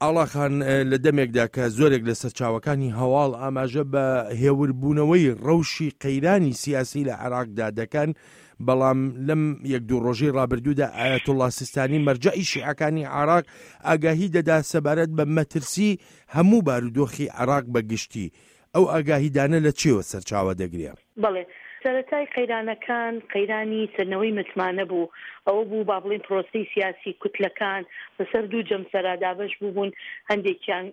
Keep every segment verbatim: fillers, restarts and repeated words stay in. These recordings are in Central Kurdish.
ئاڵا خان، لە دەمێکدا کە زۆرێک لە سەرچاوەکانی هەواڵ ئاماژە بە هێوربوونەوەی ڕەوشی قەیرانی سیاسی لە عێراقدا دەکەن، بەڵام لەم یەک دوو ڕۆژەی ڕابردوودا ئایەتوڵڵا سیستانی مەرجەعی شیعەکانی عێراق ئاگاهی دەدا سەبارەت بە مەترسی هەموو بارودۆخی عێراق بە گشتی. ئەو ئاگاهیدانە لە چیەوە سەرچاوە دەگرێ؟ بەڵێ، سەرەتای قەیرانەکان قەیرانی سەندنەوەی متمانە بوو، ئەوە بوو با بڵێین پرۆسەی سیاسی کوتلەکان بەسەر دوو جەمسەرا دابەش بووبوون، هەندێکیان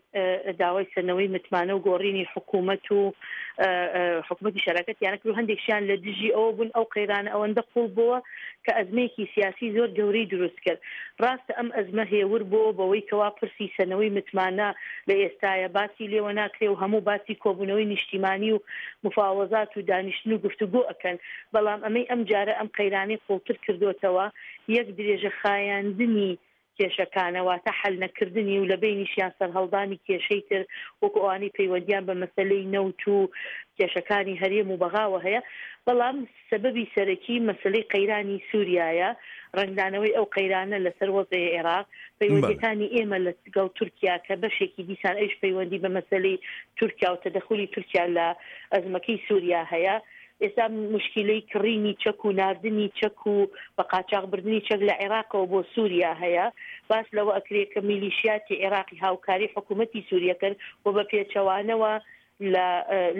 داوای سەندنەوەی متمانە و گۆڕینی حکوومەت و حکوومەتی شەراکەتیان کرد و هەندێکیان لە دژی ئەوە بوون. ئەو قەیرانە ئەوەندە قوڵ بووە کە ئەزمەیەکی سیاسی زۆر گەورەی دروست کرد. ڕاستە ئەم ئەزمە هێور بۆ بەوەی کەوا پرسی سەندنەوەی متمانە لە ئێستاە باسی لێوە ناکرێ و هەموو باسی کۆبوونەوەی نیشتیمانی و مفاوەزات و دانیشتن و گفتوگۆ ئەکەن، بەڵام ئەمەی ئەم جارە ئەم قەیرانەی قوڵتر کردوتەوە یەک درێژە خایاندنی کێشەکانە، واتە حل نەکردنی و لە بینیشیان سەرهەڵدانی کێشەی تر وەکو ئەوانەی پەیوەندیان بە مەسلەی نەوت و کێشەکانی هەرێم و بەغاوە هەیە. بەڵام سەبەبی سەرەکی مەسلەی قەیرانی سووریایە، ڕەنگدانەوەی ئەو قەیرانە لەسەر وەزعی عێراق، پەیوەندیەکانی ئێمە لەگەڵ تورکیا کە بەشێکی دیسان ئەویش پەیوەندی بە مەسلەی تورکیا و تەدەخولی تورکیا لە ئەزمەکەی سووریا هەیە. ئێستا مشکلەی کڕینی چەک و ناردنی چەک و بە قاچاقبردنی چەک لە عێراقەوە بۆ سووریا هەیە. باس لەوە ئەکرێت کە میلیشیاتی عێراقی هاوکاری حکوومەتی سووریەکەن و بە پێچەوانەوە لە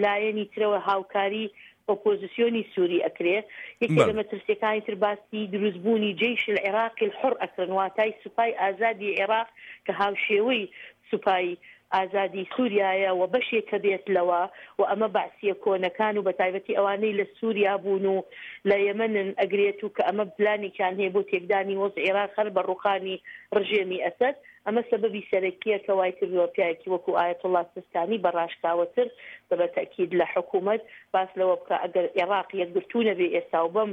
لایەنی ترەوە هاوکاری ئۆپۆزیسیۆنی سووری ئەکرێ. یەکێ لە مەترسیەکانی تر باسی دروستبوونی جەیش العراقی الحر ئەکرن، واتای سوپای ئازادی عێراق کە هاوشێوەی سوپای ئازادی سووریایە و بەشێکە بێت لەوە و ئەمە بەعسیە کۆنەکان و بەتایبەتی ئەوانەی لە سووریا بوون و لە یەمەنن ئەگرێت و کە ئەمە پلانێکیان هەیە بۆ تێکدانی وەزعی عێراق هەر بە ڕوخانی ڕژێمی ئەسەد. ئەمە سەبەبی سەرەکیە کە وای کردووە پیاوێکی وەکو ئایەتوڵڵا سیستانی بە ڕاشکاوەتر بە تەئکید لە حکوومەت باس لەوە بکە ئەگەر عێراق یەکگرتوو نەبێ ئێستا و بەم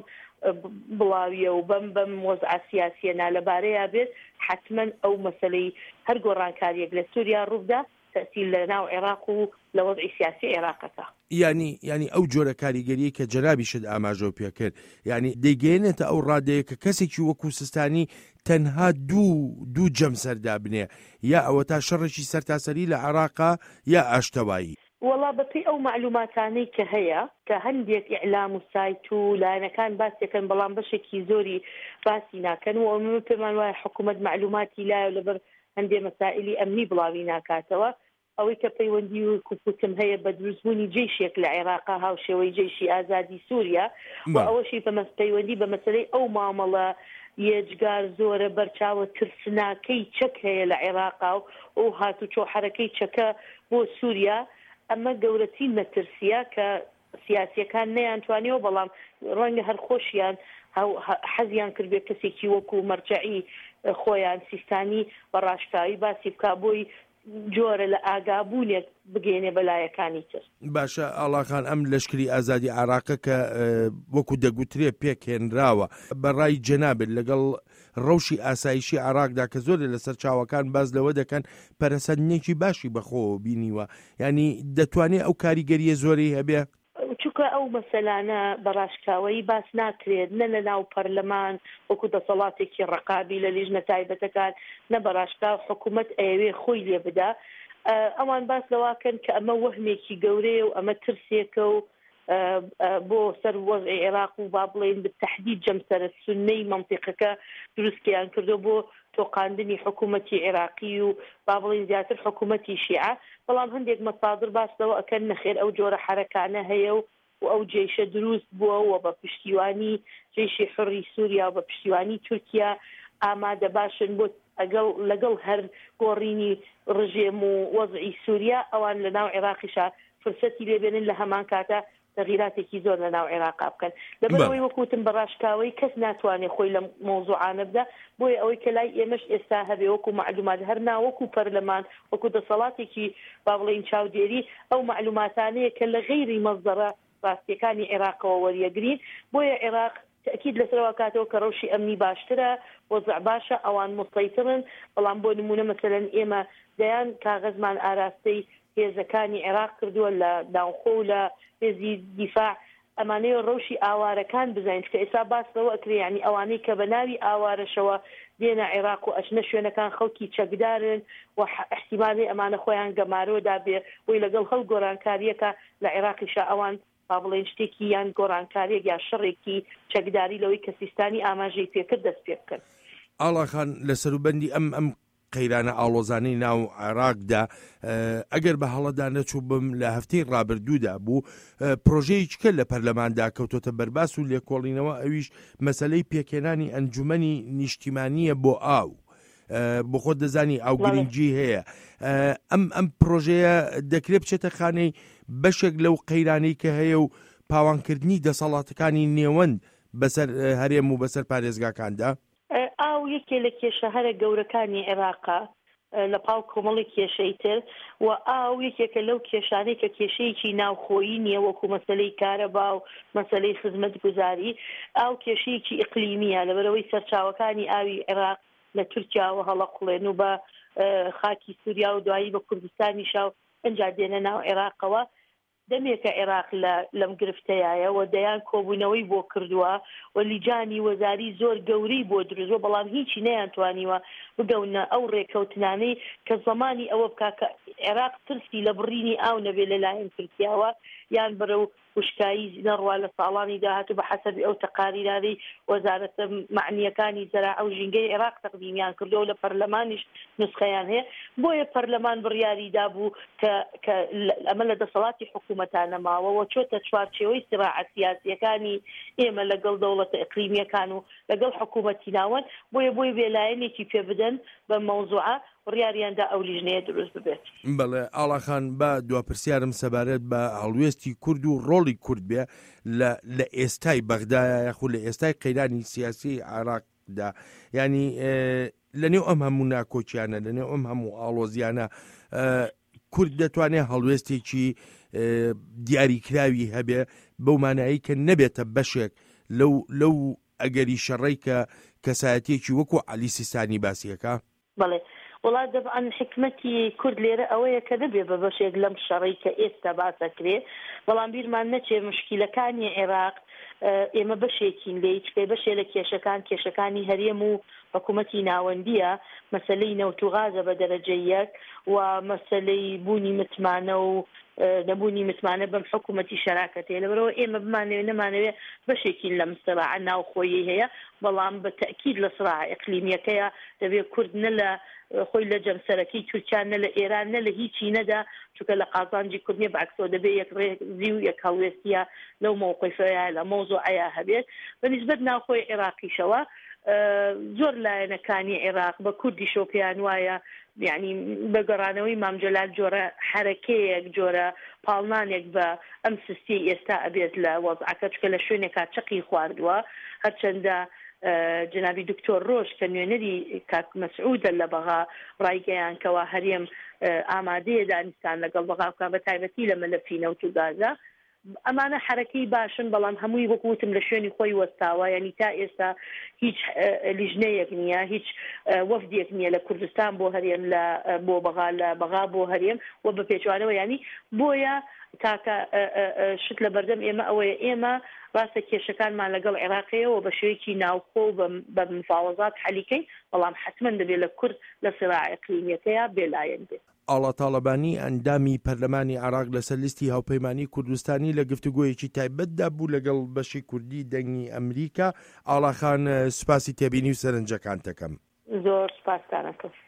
بڵاویە و بەم بەم وەزعە سیاسیە نالەبارەیە بێت، حتما ئەو مەسلەی هەر گۆڕانکاریەک لە سووریا ڕووبدا تەئسیر لە ناو عێراق و لە وەزعی سیاسی عێراقەکە. یعنی یعنی ئەو جۆرە کاریگەریە کە جەنابیشت ئاماژەو پێکرد، یعنی دەیگەیەنێتە ئەو ڕادەیە کە کەسێکی وەکو سیستانی تەنها دوو دوو جەمسەردا بنێ، یا ئەوە تا شەڕێکی سەرتاسەری لە عێراقا یا ئاشتەوایی. وەڵا بەپێی ئەو معلوماتانەی کە هەیە کە هەندێک ئیعلام و سایت و لایەنەکان باسیەکەن، بەڵام بەشێکی زۆری باسی ناکەن و ئەمە پێمان وایە حکوومەت معلوماتی لایە لەبەر هەندێک مەسائلی ئەمنی بڵاوی ناکاتەوە. ئەوەی کە پەیوەندی و کوپوتم هەیە بە دروستبوونی جەیشێک لە عێراقا هاوشێوەی جەیشی ئازادی سووریا و ئەوەشی پەیوەندی بە مەسلەی ئەو مامەڵە یەجگار زۆرە بەرچاوە ترسناکەی چەک هەیە لە عێراقا و ئەو هاتوچۆ حەرەکەی چەکە بۆ سووریا، ئەمە گەورەترین مەترسیە کە سیاسیەکان نەیانتوانیەوە، بەڵام ڕەنگە هەر خۆشیان حەزیان کردبێت کەسێکی وەکو مەرجەعی خۆیان سیستانی بە ڕاشکاوی باسی بکا بۆی جۆرە لە ئاگابوونێک بگەێنێ بەلایەکانی تر. باشە ئاڵاخان، ئەم لەشکری ئازادی عێراقە کە وەکو دەگوترێ پێکهێنراوە، بەڕای جەنابت لەگەڵ ڕەوشی ئاسایشی عێراقدا کە زۆرێ لەسەر چاوەکان باز لەوە دەکەن پەرەسەندنێکی باشی بەخۆوە بینیوە، ینی دەتوانێت ئەو کاریگەریە زۆری هەبێ؟ چونکە ئەو مەسەلانە بەڕاشکاوەیی باس ناکرێت نە لە ناو پەرلەمان وەکو دەسەڵاتێکی ڕقابی لە لیژنە تایبەتەکان، نە بەڕاشکاو حکوومەت ئەیەوێ خۆی لێ بدا. ئەوان باس لەواکەن کە ئەمە وەهمێکی گەورەیە و ئەمە ترسێکە و بۆ سەر وەزعی عێراق و با بڵێین بەتەحدید جەمسەرە سوننەی مەنتیقەکە دروستیان کردو بۆ تۆقاندنی حکوومەتی عێراقی و با بڵێین زیاتر حکوومەتی شیعە. بەڵام هەندێک مەسادر باس لەوە ئەکەن نەخێر ئەو جۆرە حەرەکانە هەیە و ئەو جەیشە دروست بووە و بە پشتیوانی جەیشی حوڕی سووریا و بە پشتیوانی تورکیا ئامادە باشن بۆ ئەگەڵ لەگەڵ هەر گۆڕینی ڕژێم و وەزعی سووریا ئەوان لە ناو عێراقیشا فرسەتی لێبێنن لە هەمان کاتە تەغیراتێکی زۆر لە ناو عێراقا بکەن. لەبەرەوەی وەکوتم بە ڕاشکاوەی کەس ناتوانێت خۆی لە مەوزوعانە بدا، بۆیە ئەوەی کە لای ئێمەش ئێستا هەبێ وەکو معلومات هەر نا وەکو پەرلەمان وەکو دەسەڵاتێکی با بڵێین چاودێری ئەو معلوماتانەیە کە لە غەیری مەزدەرە ڕاستیەکانی عێراقەوە وەریەگرین. بۆیە عێراق تەئکید لەسەرەوە کاتەوە کە ڕەوشی ئەمنی باشترە، وەزع باشە، ئەوان مسەیترن. بەڵام بۆ نمونە مەسەلەن ئێمە دەیان کاغەزمان ئاراستەی هێزەکانی عێراق کردووە لە ناوخۆ و لە هێزی دیفاع، ئەمانەیە ڕەوشی ئاوارەکان بزانین، چونکە ئێستا باس لەوە ئەکرێ یعنی ئەوانەی کە بە ناوی ئاوارەشەوە دێنە عێراق و ئەچنە شوێنەکان خەڵکی چەکدارن و ئیحتیمالی ئەمانە خۆیان گەمارۆ دابێ بۆی لەگەڵ هەڵ گۆڕانکاریەکە لە عێراقیشا ئەوان با بڵێن شتێکی یان گۆڕانکاریەک یا شەڕێکی چەکداری لەوەی کە سیستانی ئاماژەی پێکرد دەست پێ بکەن. ئاڵاخان، لە سەروبەندی ئەم ئەم قەیرانە ئاڵۆزانەی ناو عێراقدا، ئەگەر بە هەڵەدا نەچووبم لە هەفتەی ڕابردوودا بوو پرۆژەیەکە لە پەرلەماندا کەوتۆتە بەرباس و لێکۆڵینەوە، ئەویش مەسلەی پێکهێنانی ئەنجومەنی نیشتیمانیە بۆ ئاو. بۆ خۆت دەزانی ئاو گرنگی هەیە. ئەم ئەم پرۆژەیە دەکرێت بچێتە خانەی بەشێک لەو قەیرانەی کە هەیە و پاوانکردنی دەسەڵاتەکانی نێوەند بەسەر هەرێم و بەسەر پارێزگاکاندا؟ ئاو یەکێ لە کێشە هەرە گەورەکانی عێراقا لە پاڵ کۆمەڵی کێشەی تر، و ئاو یەکێکە لەو کێشانەی کە کێشەیەکی ناوخۆیی نییە وەکو مەسەلەی کارەبا و مەسەلەی خزمەتگوزاری. ئاو کێشەیەکی ئیقلیمیە، لەبەرەوەی سەرچاوەکانی ئاوی عێراق لە تورکیاوە هەڵەقوڵێن و بە خاکی سووریا و دوایی بە کوردستانیشا و ئەنجا دێنە ناو عێراقەوە. دەمێکە عێراق لەم گرفتەیە و دەیان کۆبوونەوەی بۆ کردووە و لیجانی وەزاری زۆر گەورەی بۆ دروستوە، بەڵام هیچی نەیانتوانیوە بگەونە ئەو ڕێکەوتنانەی کە زەمانی ئەوە بکا کە عێراق ترسی لە بڕینی ئاو نەبێ لەلایەن تورکیاوە یان بەرەو وشکایی نەڕوا لە ساڵانی داهاتوو بە حەسەبی ئەو تەقاریرانەی وەزارەتە مەعنیەکانی زەراعە و ژینگەی عێراق تەقدیمیان کردووە و لە پەرلەمانیش نسخەیان هەیە. بۆیە پەرلەمان بڕیاری دابوو کە کە ئەمە لە دەسەڵاتی حکوومەتانە ماوە و چۆتە چوارچێوەی سراعە سیاسیەکانی ئێمە لەگەڵ دەوڵەتە ئیقلیمیەکان و لەگەڵ حکوومەتی ناوەند. بۆیە بۆی بێلایەنێکی پێ بدەن بە مەوزوعە بڕیاریاندا ئەو لیژنەیە دروست ببێت. بەڵێ ئاڵاخان، با دوا پرسیارم سەبارەت بە هەڵوێستی کورد و ڕۆڵی کورد بێ لە ئێستای بەغدایە یاخود لە ئێستای قەیرانی سیاسی عێراقدا، یعنی لەنێو ئەم هەموو ناکۆکیانە، لەنێو ئەم هەموو ئاڵۆزیانە کورد دەتوانێت هەڵوێستێکی دیاریکراوی هەبێ بەو مانایی کە نەبێتە بەشێک لەو لەو ئەگەری شەڕەی کە کەسایەتێکی وەکو عەلی سیستانی باسیەکە؟ بەڵێ وڵا دەبعەن حکمەتی کورد لێرە ئەوەیە کە نەبێ بە بەشێک لەم شەڕەی کە ئێستا باسەکرێ، بەڵام بیرمان نەچێ مشکیلەکانی عێراق ئێمە بەشێکین لێی، چکە بەشێ لە کێشەکان کێشەکانی هەرێم و حکوومەتی ناوەندیە، مەسلەی نەوت و غازە بە دەرەجە یەک و مەسلەی بوونی متمانە و نەبوونی متمانە بەم حکوومەتی شەراکەتەیە. لەبەرەوە ئێمە بمانەوێ نەمانەوێ بەشێکین لەم سراعە ناوخۆیی هەیە، بەڵام بە تەئکید لە سراعە ئیقلیمیەکەیە دەبێت کورد نە لە خۆی لە جەمسەرەکەی تورکیا نە لە ئێران نە لە هیچی نەدا، چونکە لە قازانجی کورد نییە، بەعکسەوە دەبێت یەک ڕێزی و یەک هەڵوێستیە لەو مەوقفەیە لە مەوزوعەیە هەبێت. بە نسبەت ناوخۆی عێراقیشەوە زۆر لایەنەکانی عێراق بە کوردیشەوە پێیان وایە یعنی بە گەڕانەوەی مام جەلال جۆرە حەرەکەیەک جۆرە پاڵنانێک بە ئەم سستی ئێستا ئەبێت لە وەزعەکە، چونکە لە شوێنێکا چەقی خواردووە. هەرچەندە جنابی دکتۆر ڕۆژ کە نوێنەری کاک مەسعودە لە بەغا ڕایگەیان کەوا هەرێم ئامادەیە دانیستان لەگەڵ بەغا بکا بە تایبەتی لە مەلەفی نەوت و گازە. ئەمانە حرەکەی باشن، بەڵام هەمووی وەکو وتم لە شوێنی خۆی وەستاوە، یعنی تا ئێستا هیچ لیژنەیەک نییە، هیچ وەفدێک نییە لە کوردستان بۆ هەرێم لە بۆ بەغا لە بەغا بۆ هەرێم و بە پێچوانەوە. ینی بۆیە تاکە شت لە بەردەم ئێمە ئەوەیە ئێمە ڕاستە کێشەکانمان لەگەڵ عێراقەیەوە بە شێوەیەکی ناوخۆ و بە مفاوەزات حەلیکەین، بەڵام حتمما دەبێت لە کورد لە سراع ئیقلیمیەکەیە بێلایەن بێت. ئاڵا تاڵەبانی ئەندامی پەرلەمانی عێراق لەسەر لیستی هاوپەیمانی کوردستانی لە گفتوگۆیەکی تایبەتدا بوو لەگەڵ بەشی کوردی دەنگی ئەمریکا. ئاڵاخان، سوپاسی تێبینی و سەرنجەکانتەکەم. زۆر سوپاستانەکەم.